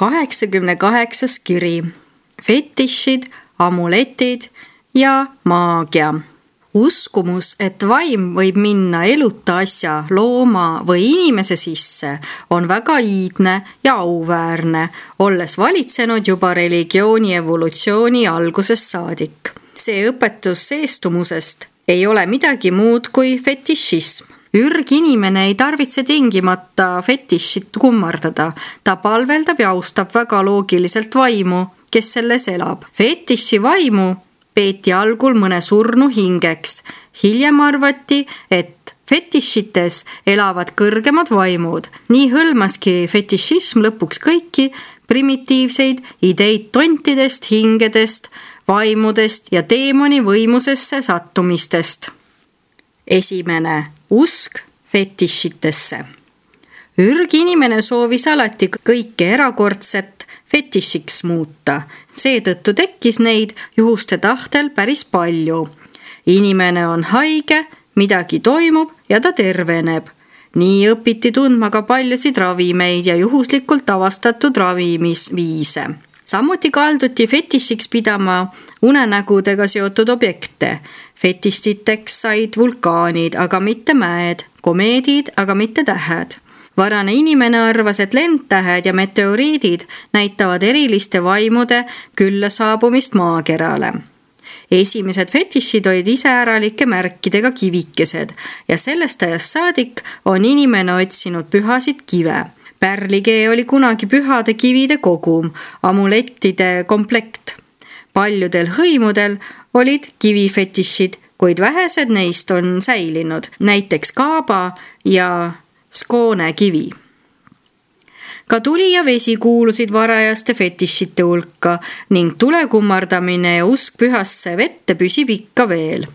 88. kiri. Fetišid, amuletid ja maagia. Uskumus, et vaim võib minna eluta asja, looma või inimese sisse, on väga iidne ja auväärne, olles valitsenud juba religiooni evolutsiooni algusest saadik. See õpetus seestumusest ei ole midagi muud kui fetišism. Ürginimene ei tarvitse tingimata fetišit kummardada. Ta palveldab ja austab väga loogiliselt vaimu, kes selles elab. Fetiši vaimu peeti algul mõne surnu hingeks. Hiljem arvati, et fetišites elavad kõrgemad vaimud. Nii hõlmaski fetišism lõpuks kõiki primitiivseid ideid tontidest, hingedest, vaimudest ja teemoni võimusesse sattumistest. Esimene, usk fetišitesse. Ürginimene soovis alati kõike erakordset fetišiks muuta. Seetõttu tekkis neid juhuste tahtel päris palju. Inimene on haige, midagi toimub ja ta terveneb. Nii õpiti tundma ka paljusid ravimeid ja juhuslikult avastatud ravimisviise. Samuti kalduti fetišiks pidama unenägudega seotud objekte. Fetišiteks said vulkaanid, aga mitte mäed, komeedid, aga mitte tähed. Varane inimene arvas, et lendtähed ja meteoriidid näitavad eriliste vaimude külla saabumist maakerale. Esimesed fetišid olid iseäralike märkidega kivikesed ja sellest ajast saadik on inimene otsinud pühasid kive. Pärlikee oli kunagi pühade kivide kogum, amulettide komplekt. Paljudel hõimudel olid kivifetišid, kuid vähesed neist on säilinud, näiteks kaaba ja skoone kivi. Ka tuli ja vesi kuulusid varajaste fetišite hulka ning tule kummardamine ja usk pühasse vette püsib ikka veel.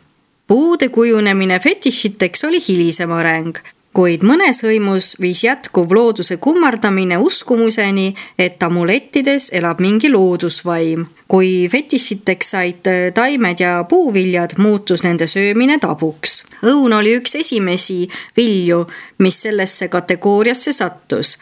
Puude kujunemine fetišiteks oli hilisem areng, kuid mõnes hõimus viis jätkuv looduse kummardamine uskumuseni, et amulettides elab mingi loodusvaim. Kui fetišiteks said taimed ja puuviljad, muutus nende söömine tabuks. Õun oli üks esimesi vilju, mis sellesse kategooriasse sattus.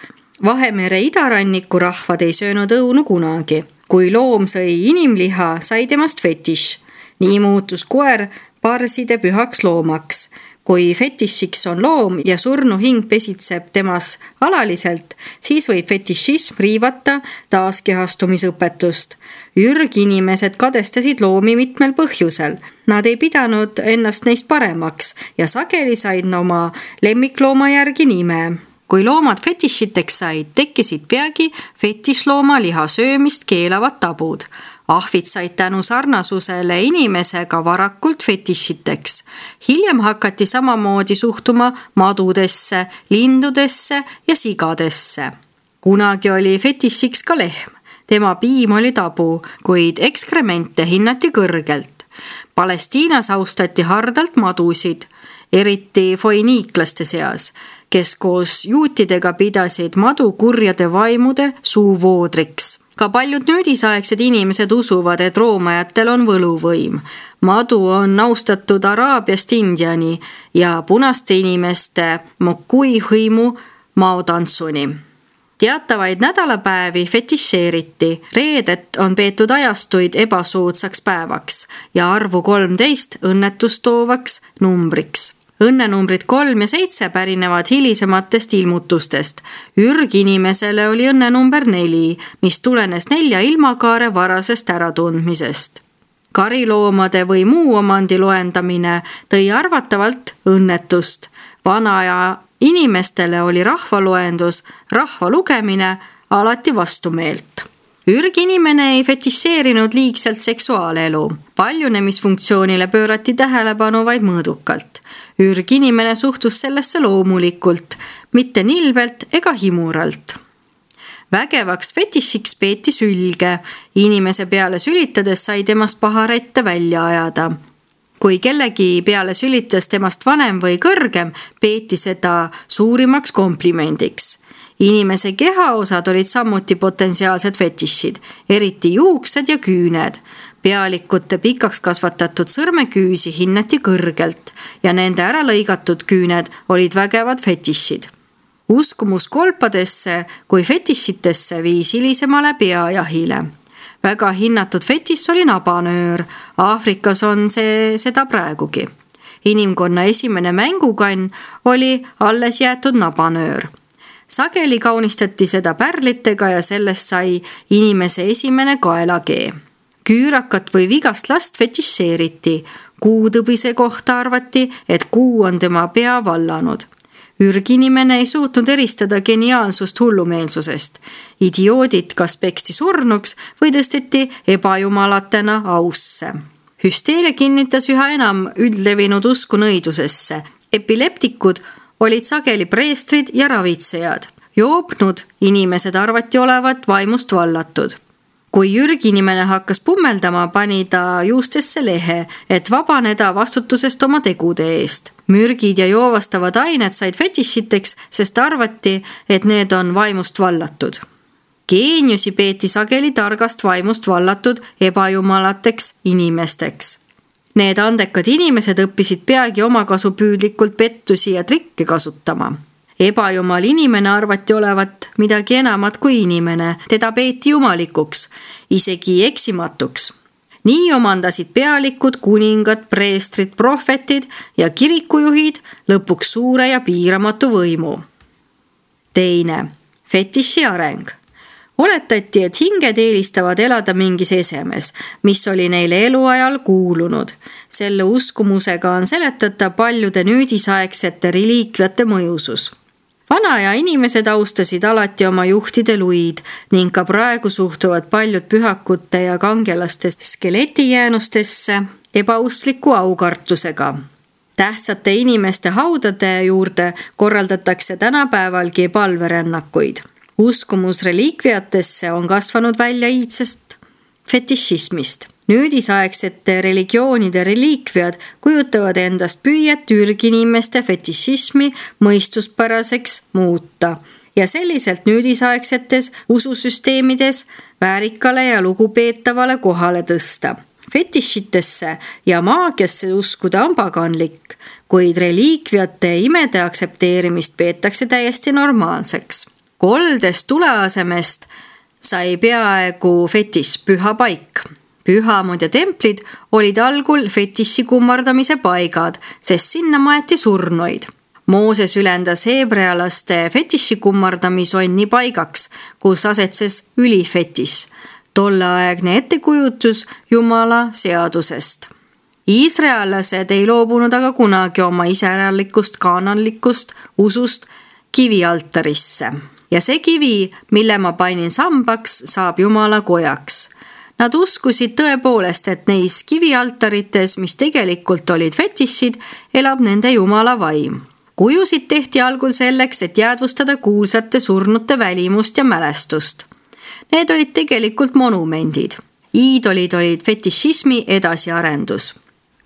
Vahemere idaranniku rahvad ei söönud õunu kunagi. Kui loom sõi inimliha, sai temast fetiš. Nii muutus koer parside pühaks loomaks. Kui fetišiks on loom ja surnu hing pesitseb temas alaliselt, siis võib fetišism riivata taaskehastumisõpetust. Ürginimesed kadestasid loomi mitmel põhjusel. Nad ei pidanud ennast neist paremaks ja sageli said oma lemmiklooma järgi nime. Kui loomad fetišiteks said, tekkisid peagi fetišlooma liha söömist keelavad tabud. Ahvid said tänu sarnasusele inimesega varakult fetišiteks. Hiljem hakati samamoodi suhtuma madudesse, lindudesse ja sigadesse. Kunagi oli fetišiks ka lehm. Tema piim oli tabu, kuid ekskremente hinnati kõrgelt. Palestiinas austati hardalt madusid, eriti foiniiklaste seas, kes koos juutidega pidasid madu kurjade vaimude suuvoodriks. Ka paljud nüüdisaegsed inimesed usuvad, et roomajatel on võluvõim. Madu on austatud Araabiast Indiani ja punaste inimeste mokui hõimu maotantsuni. Teatavaid nädalapäevi fetišeeriti. Reedet on peetud ajastuid ebasoodsaks päevaks ja arvu 13 õnnetustoovaks numbriks. Õnnenumbrid 3 ja 7 pärinevad hilisematest ilmutustest. Ürginimesele oli õnnenumber 4, mis tulenes 4 ilmakaare varasest äratundmisest. Kariloomade või muu omandi loendamine tõi arvatavalt õnnetust. Vanaja inimestele oli rahvaloendus, rahva lugemine alati vastumeelt. Ürginimene ei fetišeerinud liigselt seksuaalelu. Paljunemisfunktsioonile pöörati tähelepanu vaid mõõdukalt. Ürginimene suhtus sellesse loomulikult, mitte nilbelt ega himuralt. Vägevaks fetišiks peeti sülge. Inimese peale sülitades sai temast paharette välja ajada. Kui kellegi peale sülitas temast vanem või kõrgem, peeti seda suurimaks komplimendiks. Inimese kehaosad olid samuti potentsiaalsed fetišid, eriti juuksed ja küüned. Pealikute pikaks kasvatatud sõrmeküüsi hinnati kõrgelt ja nende äralõigatud küüned olid vägevad fetišid. Uskumus kolpadesse kui fetišitesse viis hilisemale peajahile. Väga hinnatud fetiš oli nabanöör. Aafrikas on see seda praegugi. Inimkonna esimene mängukann oli alles jäetud nabanöör. Sageli kaunistati seda pärlitega ja sellest sai inimese esimene kaelakee. Küürakat või vigast last fetišeeriti. Kuutõbise kohta arvati, et kuu on tema pea vallanud. Ürginimene ei suutnud eristada geniaalsust hullumeelsusest. Idioodid kas peksti surnuks või tõsteti ebajumalatena ausse. Hüsteeria kinnitas üha enam üldlevinud usku nõidusesse. Epileptikud olid sageli preestrid ja ravitsejad. Joopnud inimesed arvati olevat vaimust vallatud. Kui ürginimene hakkas pummeldama, pani ta juustesse lehe, et vabaneda vastutusest oma tegude eest. Mürgid ja joovastavad ained said fetišiteks, sest arvati, et need on vaimust vallatud. Geeniusi peeti sageli targast vaimust vallatud ebajumalateks inimesteks. Need andekad inimesed õppisid peagi omakasupüüdlikult pettusi ja trikke kasutama. Ebajumal inimene arvati olevat midagi enamat kui inimene, teda peeti jumalikuks, isegi eksimatuks. Nii omandasid pealikud, kuningad, preestrid, prohvetid ja kirikujuhid lõpuks suure ja piiramatu võimu. Teine, fetiši areng. Oletati, et hinged eelistavad elada mingis esemes, mis oli neile eluajal kuulunud. Selle uskumusega on seletata paljude nüüdisaegsete reliikviate mõjusus. Vanaja inimesed austasid alati oma juhtide luid ning ka praegu suhtuvad paljud pühakute ja kangelaste skeletijäänustesse ebaustliku aukartusega. Tähtsate inimeste haudade juurde korraldatakse tänapäevalgi palverännakuid. Uskumus reliikviatesse on kasvanud välja iidsest fetišismist. Nüüdisaegsete religioonide reliikviad kujutavad endast püüet ürginimeste fetišismi mõistuspäraseks muuta ja selliselt nüüdisaegsetes ususüsteemides väärikale ja lugupeetavale kohale tõsta. Fetišitesse ja maagiasse uskuda on paganlik, kuid reliikviate imede aktsepteerimist peetakse täiesti normaalseks. Koldest tule asemest sai peaaegu fetiš püha paik. Pühamud ja templid olid algul fetiši kummardamise paigad, sest sinna maeti surnuid. Mooses ülendas heebrealaste fetiši kummardamisonni paigaks, kus asetses ülifetiš, tolleaegne ettekujutus Jumala seadusest. Iisraellased ei loobunud aga kunagi oma iseäralikust kaananlikust usust kivialtarisse. Ja see kivi, mille ma panin sambaks, saab Jumala kojaks. Nad uskusid tõepoolest, et neis kivialtarites, mis tegelikult olid fetišid, elab nende Jumala vaim. Kujusid tehti algul selleks, et jäädvustada kuulsate surnute välimust ja mälestust. Need olid tegelikult monumendid. Iidolid olid fetišismi edasiarendus.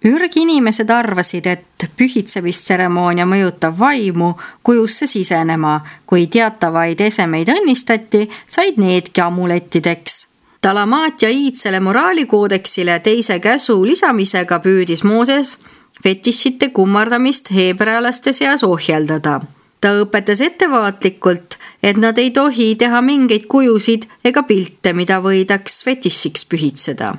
Ürginimesed arvasid, et pühitsemistseremoonia mõjutab vaimu kujusse sisenema. Kui teatavaid esemeid õnnistati, said needki amulettideks. Talamaatia iidsele moraalikoodeksile teise käsu lisamisega püüdis Mooses fetišite kummardamist heebrealaste seas ohjeldada. Ta õpetas ettevaatlikult, et nad ei tohi teha mingeid kujusid ega pilte, mida võidaks fetišiks pühitseda.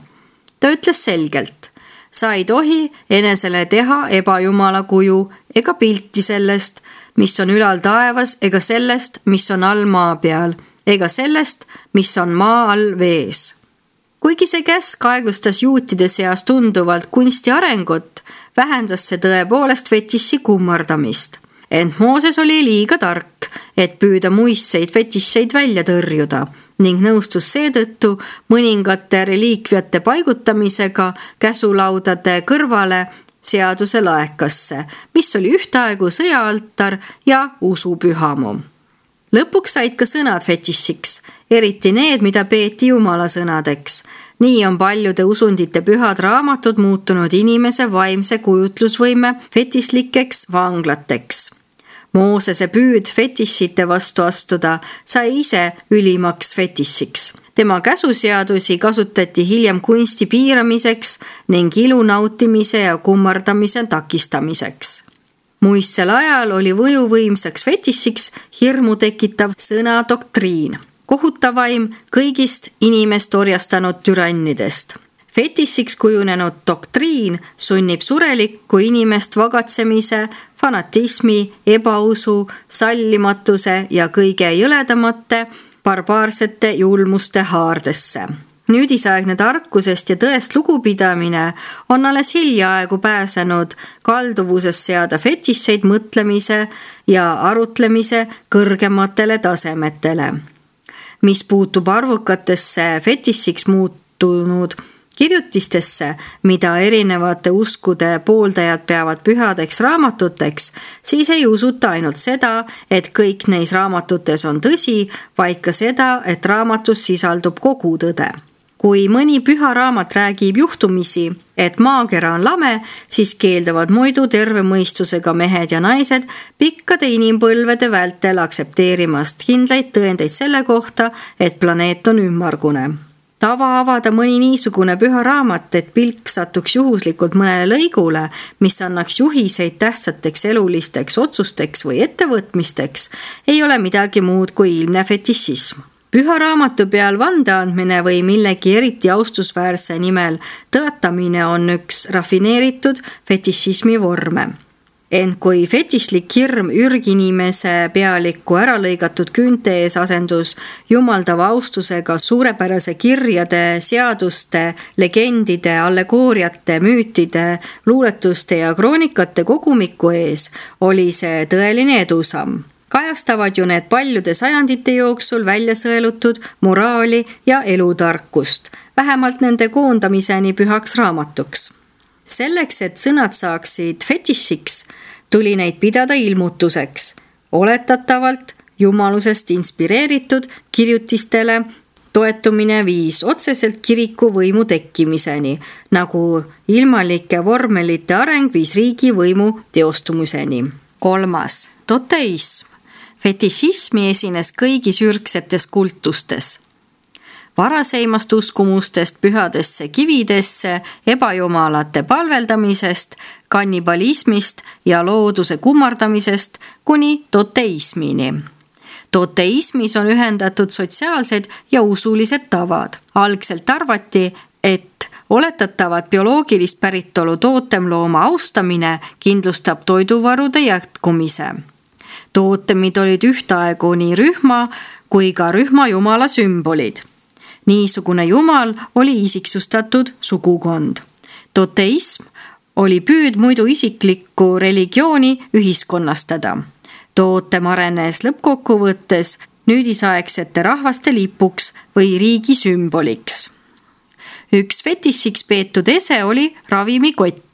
Ta ütles selgelt, sa ei tohi enesele teha ebajumala kuju ega pilti sellest, mis on ülal taevas, ega sellest, mis on all maa peal, ega sellest, mis on maa all vees. Kuigi see käsk aeglustas juutide seas tunduvalt kunsti arengut, vähendas see tõepoolest fetiši kummardamist. Ent Mooses oli liiga tark, et püüda muistseid fetišeid välja tõrjuda ning nõustus seetõttu mõningate reliikviate paigutamisega käsulaudade kõrvale seaduse laekasse, mis oli ühtaegu sõjaaltar ja usupühamu. Lõpuks said ka sõnad fetišiks, eriti need, mida peeti Jumala sõnadeks. Nii on paljude usundite pühad raamatud muutunud inimese vaimse kujutlusvõime fetišlikeks vanglateks. Moosese püüd fetišite vastu astuda sai ise ülimaks fetišiks. Tema käsuseadusi kasutati hiljem kunsti piiramiseks ning ilu nautimise ja kummardamise takistamiseks. Muistsel ajal oli võjuvõimsaks fetišiks hirmu tekitav sõna doktriin, kohutavaim kõigist inimest orjastanud türannidest. Fetišiks kujunenud doktriin sunnib surelikku inimest vagatsemise, fanatismi, ebausu, sallimatuse ja kõige jõledamate barbaarsete julmuste haardesse. Nüüdisaegne tarkusest ja tõest lugupidamine on alles hiljaaegu pääsenud kalduvusest seada fetišeid mõtlemise ja arutlemise kõrgematele tasemetele. Mis puutub arvukatesse fetišiks muutunud kirjutistesse, mida erinevate uskude pooldajad peavad pühadeks raamatuteks, siis ei usuta ainult seda, et kõik neis raamatutes on tõsi, vaid ka seda, et raamatus sisaldub kogu tõde. Kui mõni püha raamat räägib juhtumisi, et maakera on lame, siis keelduvad muidu terve mõistusega mehed ja naised pikkade inimpõlvede vältel aksepteerimast kindlaid tõendeid selle kohta, et planeet on ümmargune. Tava avada mõni niisugune püha raamat, et pilk satuks juhuslikult mõnele lõigule, mis annaks juhiseid tähtsateks elulisteks otsusteks või ettevõtmisteks, ei ole midagi muud kui ilmne fetišism. Püha raamatu peal vande andmine või millegi eriti austusväärse nimel tõotamine on üks rafineeritud fetišismi vorme. Ent kui fetišlik hirm ürginimese pealikku äralõigatud küünte ees asendus jumaldava austusega suurepärase kirjade, seaduste, legendide, allegooriate, müütide, luuletuste ja kroonikate kogumiku ees, oli see tõeline edusamm. Kajastavad ju need paljude sajandite jooksul välja sõelutud moraali ja elutarkust, vähemalt nende koondamiseni pühaks raamatuks. Selleks, et sõnad saaksid fetišiks, tuli neid pidada ilmutuseks, oletatavalt jumalusest inspireeritud kirjutistele toetumine viis otseselt kiriku võimu tekkimiseni, nagu ilmalike vormelite areng viis riigi võimu teostumiseni. 3. Toteism. Fetišismi esines kõigis ürgsetes kultustes. Varaseimast uskumustest pühadesse kividesse, ebajumalate palveldamisest, kannibalismist ja looduse kummardamisest kuni toteismini. Toteismis on ühendatud sotsiaalsed ja usulised tavad. Algselt arvati, et oletatavat bioloogilist päritolu tootemlooma austamine kindlustab toiduvarude jätkumise. Tootemid olid ühtaegu nii rühma kui ka rühma jumala sümbolid. Niisugune jumal oli isiksustatud sugukond. Toteism oli püüd muidu isiklikku religiooni ühiskonnastada. Tootem arenes lõppkokkuvõttes nüüdisaegsete rahvaste lipuks või riigi sümboliks. Üks fetišiks peetud ese oli ravimikott.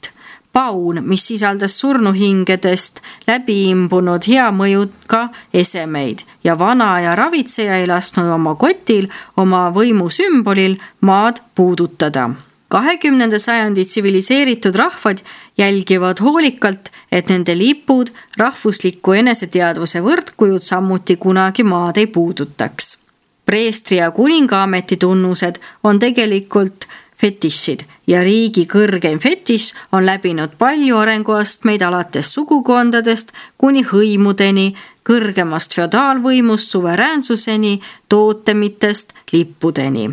Paun, mis sisaldas surnuhingedest läbi imbunud hea mõjuga esemeid ja vana ja ravitseja ei lasknud oma kotil, oma võimu sümbolil maad puudutada. 20. sajandi tsiviliseeritud rahvad jälgivad hoolikalt, et nende lipud rahvusliku eneseteadvuse võrdkujud samuti kunagi maad ei puudutaks. Preestri ja kuningaameti tunnused on tegelikult fetišid ja riigi kõrgeim fetiš on läbinud palju arenguastmeid alates sugukondadest kuni hõimudeni, kõrgemast feodaalvõimust suveräänsuseni, tootemitest lippudeni.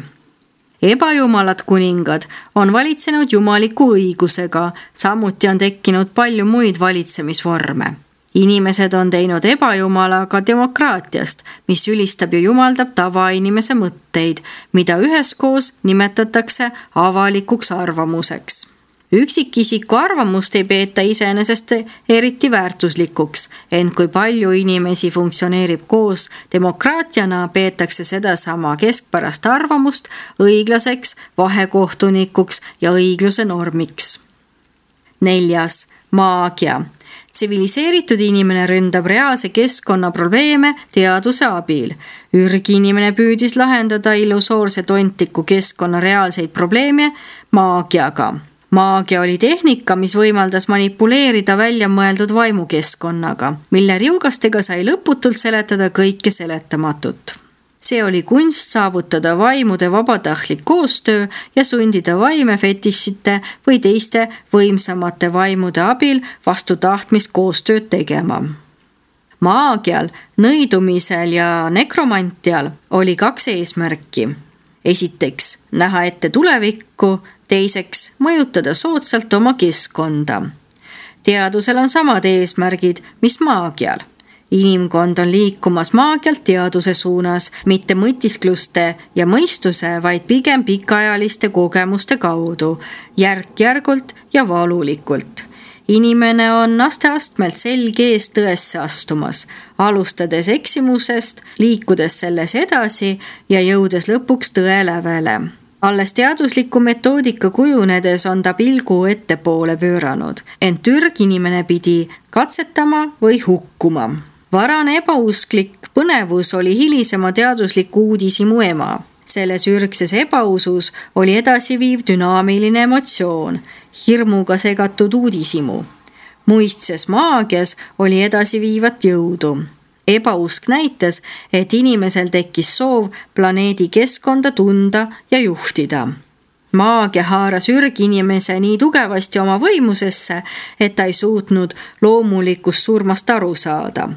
Ebajumalad kuningad on valitsenud jumaliku õigusega, samuti on tekkinud palju muid valitsemisvorme. Inimesed on teinud ebajumalaga demokraatiast, mis ülistab ja jumaldab tavainimese mõtteid, mida üheskoos nimetatakse avalikuks arvamuseks. Üksikisiku arvamust ei peeta iseenesest eriti väärtuslikuks, ent kui palju inimesi funktsioneerib koos demokraatiana, peetakse sedasama keskpärast arvamust õiglaseks vahekohtunikuks ja õigluse normiks. 4. Maagia. Tsiviliseeritud inimene ründab reaalse keskkonna probleeme teaduse abil. Ürginimene püüdis lahendada illusoorse tontiku keskkonna reaalseid probleeme maagiaga. Maagia oli tehnika, mis võimaldas manipuleerida välja mõeldud vaimukeskkonnaga, mille riugastega sai lõputult seletada kõike seletamatut. See oli kunst saavutada vaimude vabatahtlik koostöö ja sundida vaime fetišite või teiste võimsamate vaimude abil vastu tahtmist koostööd tegema. Maagial, nõidumisel ja nekromantial oli 2 eesmärki. Esiteks, näha ette tulevikku, teiseks, mõjutada soodsalt oma keskkonda. Teadusel on samad eesmärgid, mis maagial. Inimkond on liikumas maagialt teaduse suunas, mitte mõtiskluste ja mõistuse, vaid pigem pikaajaliste kogemuste kaudu, järk-järgult ja valulikult. Inimene on aste-astmelt selge ees tõesse astumas, alustades eksimusest, liikudes selles edasi ja jõudes lõpuks tõe lävele. Alles teadusliku metoodika kujunedes on ta pilgu ettepoole pööranud, ent ürginimene pidi katsetama või hukkuma. Varane ebausklik põnevus oli hilisema teadusliku uudishimu ema. Selles ürgses ebausus oli edasiviiv dünaamiline emotsioon, hirmuga segatud uudishimu. Muistses maagias oli edasiviivat jõudu. Ebausk näitas, et inimesel tekkis soov planeedi keskkonda tunda ja juhtida. Maagia haaras ürginimese nii tugevasti oma võimusesse, et ta ei suutnud loomulikust surmast aru saada.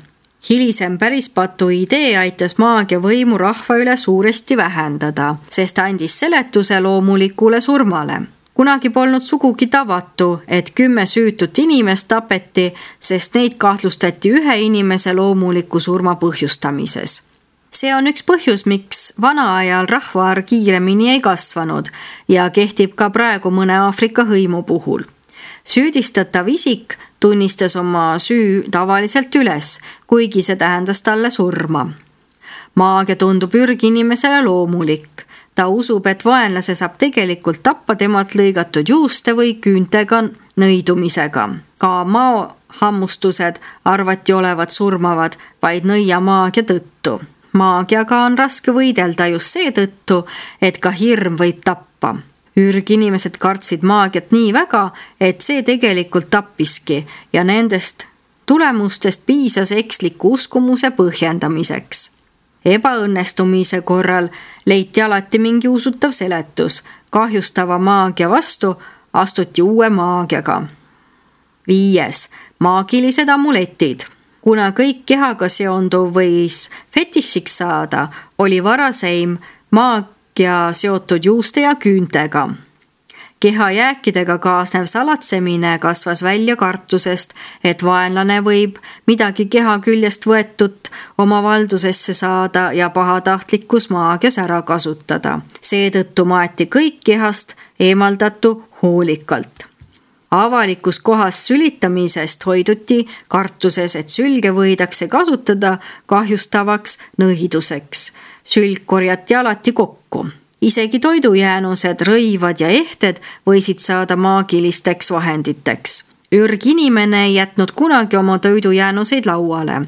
Hilisem pärispatu idee aitas maagia võimu rahva üle suuresti vähendada, sest andis seletuse loomulikule surmale. Kunagi polnud sugugi tavatu, et 10 süütut inimest tapeti, sest neid kahtlustati ühe inimese loomuliku surma põhjustamises. See on üks põhjus, miks vanaajal rahvaarv kiiremini ei kasvanud ja kehtib ka praegu mõne Aafrika hõimu puhul. Süüdistatav isik tunnistas oma süü tavaliselt üles, kuigi see tähendas talle surma. Maagia tundub ürginimesele loomulik. Ta usub, et vaenlase saab tegelikult tappa temalt lõigatud juuste või küüntega nõidumisega. Ka maahammustused arvati olevat surmavad vaid nõiamaagia tõttu. Maagiaga on raske võidelda just seetõttu, et ka hirm võib tappa. Ürginimesed kartsid maagiat nii väga, et see tegelikult tappiski ja nendest tulemustest piisas eksliku uskumuse põhjendamiseks. Ebaõnnestumise korral leiti alati mingi usutav seletus. Kahjustava maagia vastu astuti uue maagiaga. 5. Maagilised amuletid. Kuna kõik kehaga seonduv võis fetišiks saada, oli varaseim maagia seotud juuste ja küüntega. Kehajääkidega kaasnev salatsemine kasvas välja kartusest, et vaenlane võib midagi keha küljest võetut oma valdusesse saada ja pahatahtlikus maagias ära kasutada. Seetõttu maeti kõik kehast eemaldatu hoolikalt. Avalikus kohas sülitamisest hoiduti kartuses, et sülge võidakse kasutada kahjustavaks nõiduseks. Sülg korjati alati kokku. Isegi toidujäänused, rõivad ja ehted võisid saada maagilisteks vahenditeks. Ürginimene ei jätnud kunagi oma toidujäänuseid lauale.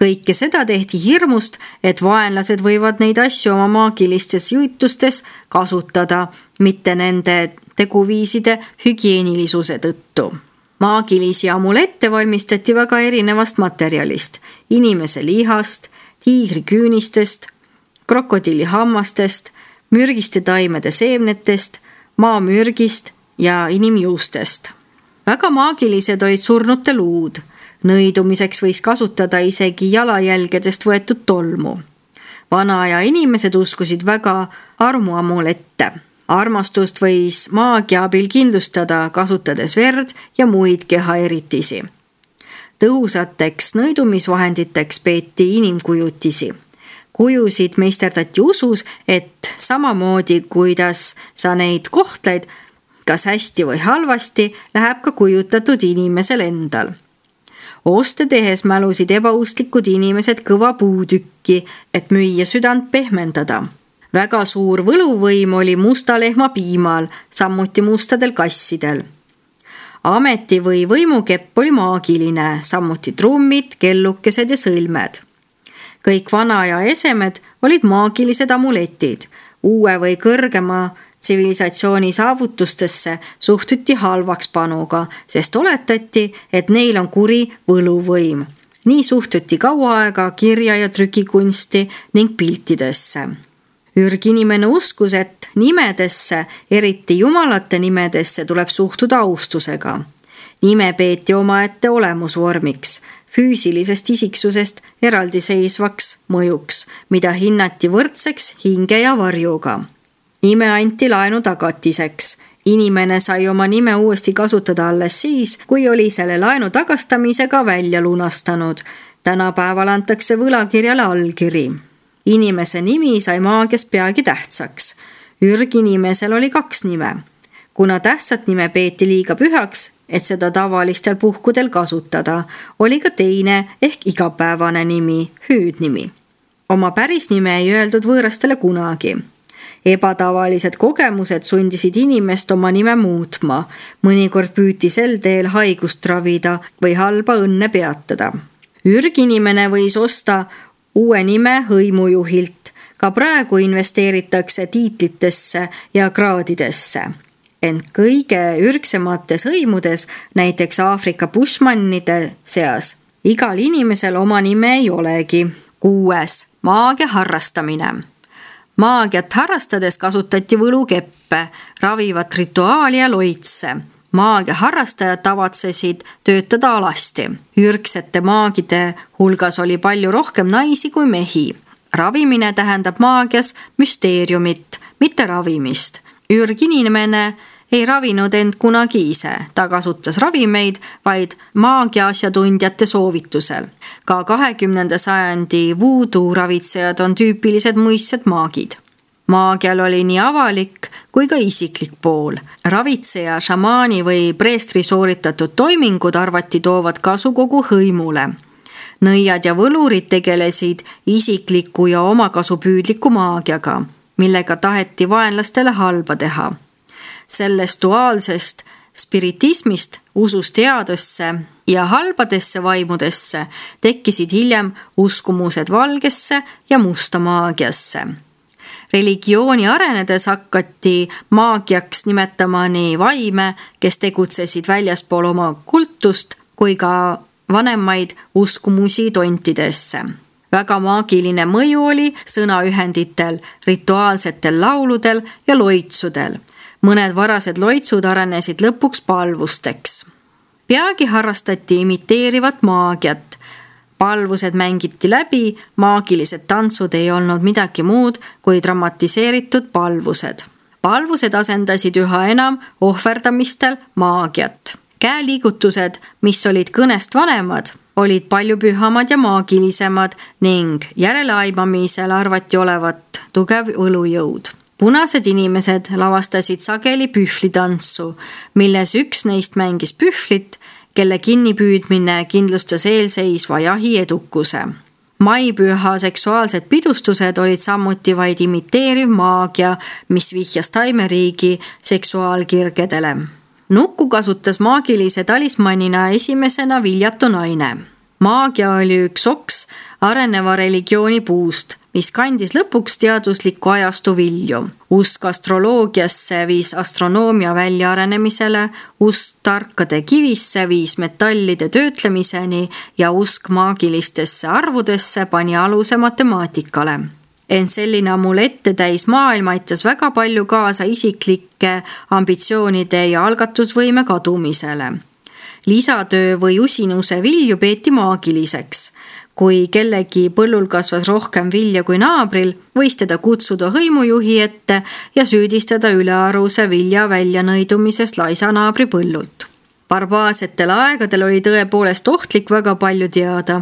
Kõike seda tehti hirmust, et vaenlased võivad neid asju oma maagilistes jutustes kasutada, mitte nende teguviiside hügieenilisuse tõttu. Maagilisi amulette valmistati väga erinevast materjalist, inimese lihast, tiigri küünistest, krokodilli hammastest, mürgiste taimede seemnetest, maamürgist ja inimjuustest. Väga maagilised olid surnute luud. Nõidumiseks võis kasutada isegi jalajälgedest võetud tolmu. Vanaaja inimesed uskusid väga armuamulette. Armastust võis maagia abil kindlustada, kasutades verd ja muid kehaeritisi. Tõhusateks nõidumisvahenditeks peeti inimkujutisi. Kujusid meisterdati usus, et samamoodi, kuidas sa neid kohtled, kas hästi või halvasti, läheb ka kujutatud inimesel endal. Oste tehes mälusid ebausklikud inimesed kõva puutükki, et müüja südant pehmendada. Väga suur võluvõim oli musta lehma piimal, samuti mustadel kassidel. Ameti või võimukepp oli maagiline, samuti trummid, kellukesed ja sõlmed. Kõik vanaaja esemed olid maagilised amuletid. Uue või kõrgema tsivilisatsiooni saavutustesse suhtuti halvaks panuga, sest oletati, et neil on kuri võluvõim. Nii suhtuti kaua aega kirja- ja trükikunsti ning piltidesse. Ürginimene uskus, et nimedesse, eriti jumalate nimedesse, tuleb suhtuda austusega. Nime peeti omaette olemusvormiks, füüsilisest isiksusest eraldiseisvaks mõjuks, mida hinnati võrdseks hinge ja varjuga. Nime anti laenu tagatiseks. Inimene sai oma nime uuesti kasutada alles siis, kui oli selle laenu tagastamisega välja lunastanud. Tänapäeval antakse võlakirjale allkiri. Inimese nimi sai maagias peagi tähtsaks. Ürginimesel oli 2 nime. Kuna tähtsat nime peeti liiga pühaks, et seda tavalistel puhkudel kasutada, oli ka teine ehk igapäevane nimi, hüüdnimi. Oma päris nime ei öeldud võõrastele kunagi. Ebatavalised kogemused sundisid inimest oma nime muutma. Mõnikord püüti sel teel haigust ravida või halba õnne peatada. Ürginimene võis osta uue nime hõimujuhilt. Ka praegu investeeritakse tiitlitesse ja kraadidesse. Ent kõige ürgsemates hõimudes, näiteks Aafrika bushmannide seas, igal inimesel oma nime ei olegi. 6. Maagia harrastamine. Maagiat harrastades kasutati võlukeppe, ravivat rituaali ja loitse. Maagia harrastajad tavatsesid töötada alasti. Ürgsete maagide hulgas oli palju rohkem naisi kui mehi. Ravimine tähendab maagias müsteeriumit, mitte ravimist. Ürginimene ei ravinud end kunagi ise, ta kasutas ravimeid vaid maagia asjatundjate soovitusel. Ka 20. sajandi voodoo ravitsejad on tüüpilised muistsed maagid. Maagial oli nii avalik kui ka isiklik pool. Ravitseja, šamaani või preestri sooritatud toimingud arvati toovad kasu kogu hõimule. Nõiad ja võlurid tegelesid isikliku ja omakasupüüdliku maagiaga, millega taheti vaenlastele halba teha. Sellest duaalsest spiritismist, usust headesse ja halbadesse vaimudesse tekkisid hiljem uskumused valgesse ja musta maagiasse. Religiooni arenedes hakati maagiaks nimetama nii vaime, kes tegutsesid väljaspool oma kultust, kui ka vanemaid uskumusi tontidesse. Väga maagiline mõju oli sõnaühenditel, rituaalsetel lauludel ja loitsudel. Mõned varased loitsud arenesid lõpuks palvusteks. Peagi harrastati imiteerivat maagiat. Palvused mängiti läbi, maagilised tantsud ei olnud midagi muud kui dramatiseeritud palvused. Palvused asendasid üha enam ohverdamistel maagiat. Käeliigutused, mis olid kõnest vanemad, olid palju pühamad ja maagilisemad ning järeleaimamisel arvati olevat tugev võlujõud. Punased inimesed lavastasid sageli pühvlitantsu, milles üks neist mängis pühvlit, kelle kinnipüüdmine kindlustas eelseisva jahi edukuse. Maipüha seksuaalsed pidustused olid samuti vaid imiteeriv maagia, mis vihjas taimeriigi seksuaalkirgedele. Nukku kasutas maagilise talismanina esimesena viljatu naine. Maagia oli üks oks areneva religiooni puust, mis kandis lõpuks teadusliku ajastu vilju. Usk astroloogiasse viis astronoomia väljaarenemisele, usk tarkade kivisse viis metallide töötlemiseni ja usk maagilistesse arvudesse pani aluse matemaatikale. Ent selline amulette täis maailm aitas väga palju kaasa isiklike ambitsioonide ja algatusvõime kadumisele. Lisatöö või usinuse vilju peeti maagiliseks. Kui kellegi põllul kasvas rohkem vilja kui naabril, võis teda kutsuda hõimujuhi ette ja süüdistada ülearuse vilja väljanõidumisest laisa naabri põllult. Barbaarsetel aegadel oli tõepoolest ohtlik väga palju teada,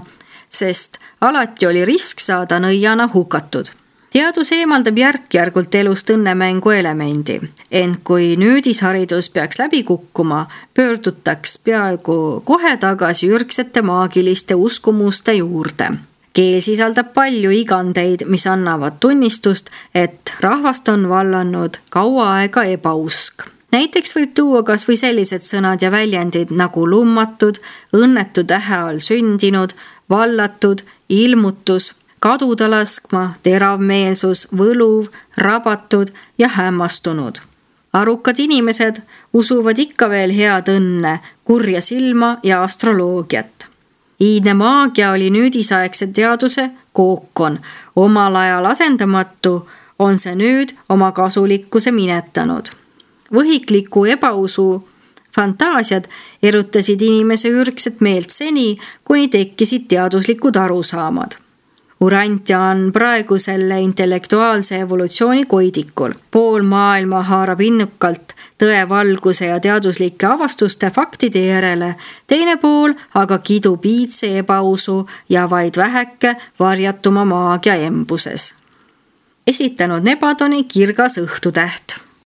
sest alati oli risk saada nõiana hukatud. Teadus eemaldab järk-järgult elust õnnemängu elemendi, ent kui nüüdisharidus peaks läbi kukkuma, pöördutaks peaaegu kohe tagasi ürgsete maagiliste uskumuste juurde. Keel sisaldab palju igandeid, mis annavad tunnistust, et rahvast on vallanud kaua aega ebausk. Näiteks võib tuua kas või sellised sõnad ja väljendid nagu lummatud, õnnetu tähe all sündinud, vallatud, ilmutus, kaduda laskma, teravmeelsus, võluv, rabatud ja hämmastunud. Arukad inimesed usuvad ikka veel head õnne, kurja silma ja astroloogiat. Iidne maagia oli nüüdisaegse teaduse kookon. Omal ajal asendamatu on see nüüd oma kasulikkuse minetanud. Võhikliku ebausu fantaasiad erutasid inimese ürgset meelt seni, kuni tekkisid teaduslikud arusaamad. Urantia on praegu selle intellektuaalse evolutsiooni koidikul. Pool maailma haarab innukalt tõe valguse ja teaduslike avastuste faktide järele, teine pool aga kidub iidse ebausu ja vaid väheke varjatuma maagia embuses. Esitanud Nebadoni Kirgas õhtutäht.